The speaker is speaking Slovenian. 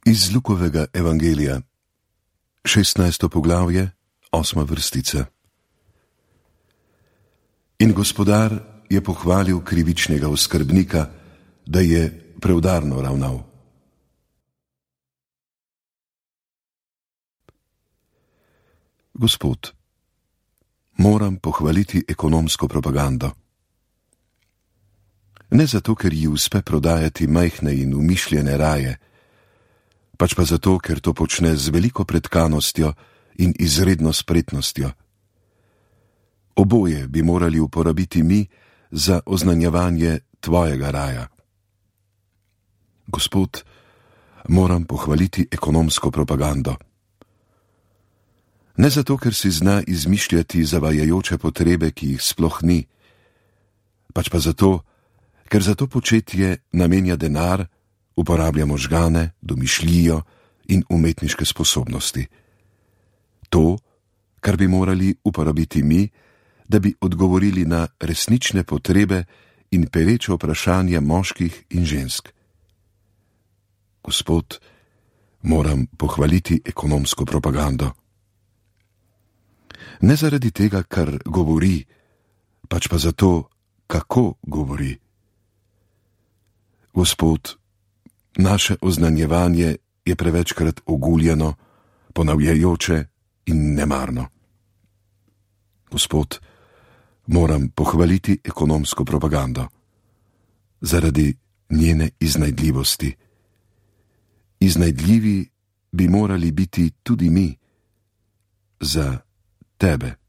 Iz Lukovega evangelija, 16. poglavje, 8. vrstica. In gospodar je pohvalil krivičnega oskrbnika, da je preudarno ravnal. Gospod, moram pohvaliti ekonomsko propagando. Ne zato, ker ji uspe prodajati majhne in umišljene raje, pač pa zato, ker to počne z veliko pretkanostjo in izredno spretnostjo. Oboje bi morali uporabiti mi za oznanjevanje tvojega raja. Gospod, moram pohvaliti ekonomsko propagando. Ne zato, ker si zna izmišljati zavajajoče potrebe, ki jih sploh ni, pač pa zato, ker za to početje namenja denar, uporablja možgane, domišljijo in umetniške sposobnosti. To, kar bi morali uporabiti mi, da bi odgovorili na resnične potrebe in pereče vprašanja moških in žensk. Gospod, moram pohvaliti ekonomsko propagando. Ne zaradi tega, kar govori, pač pa zato, kako govori. Gospod, naše oznanjevanje je prevečkrat oguljeno, ponavljajoče in nemarno. Gospod, moram pohvaliti ekonomsko propagando zaradi njene iznajdljivosti. Iznajdljivi bi morali biti tudi mi za tebe.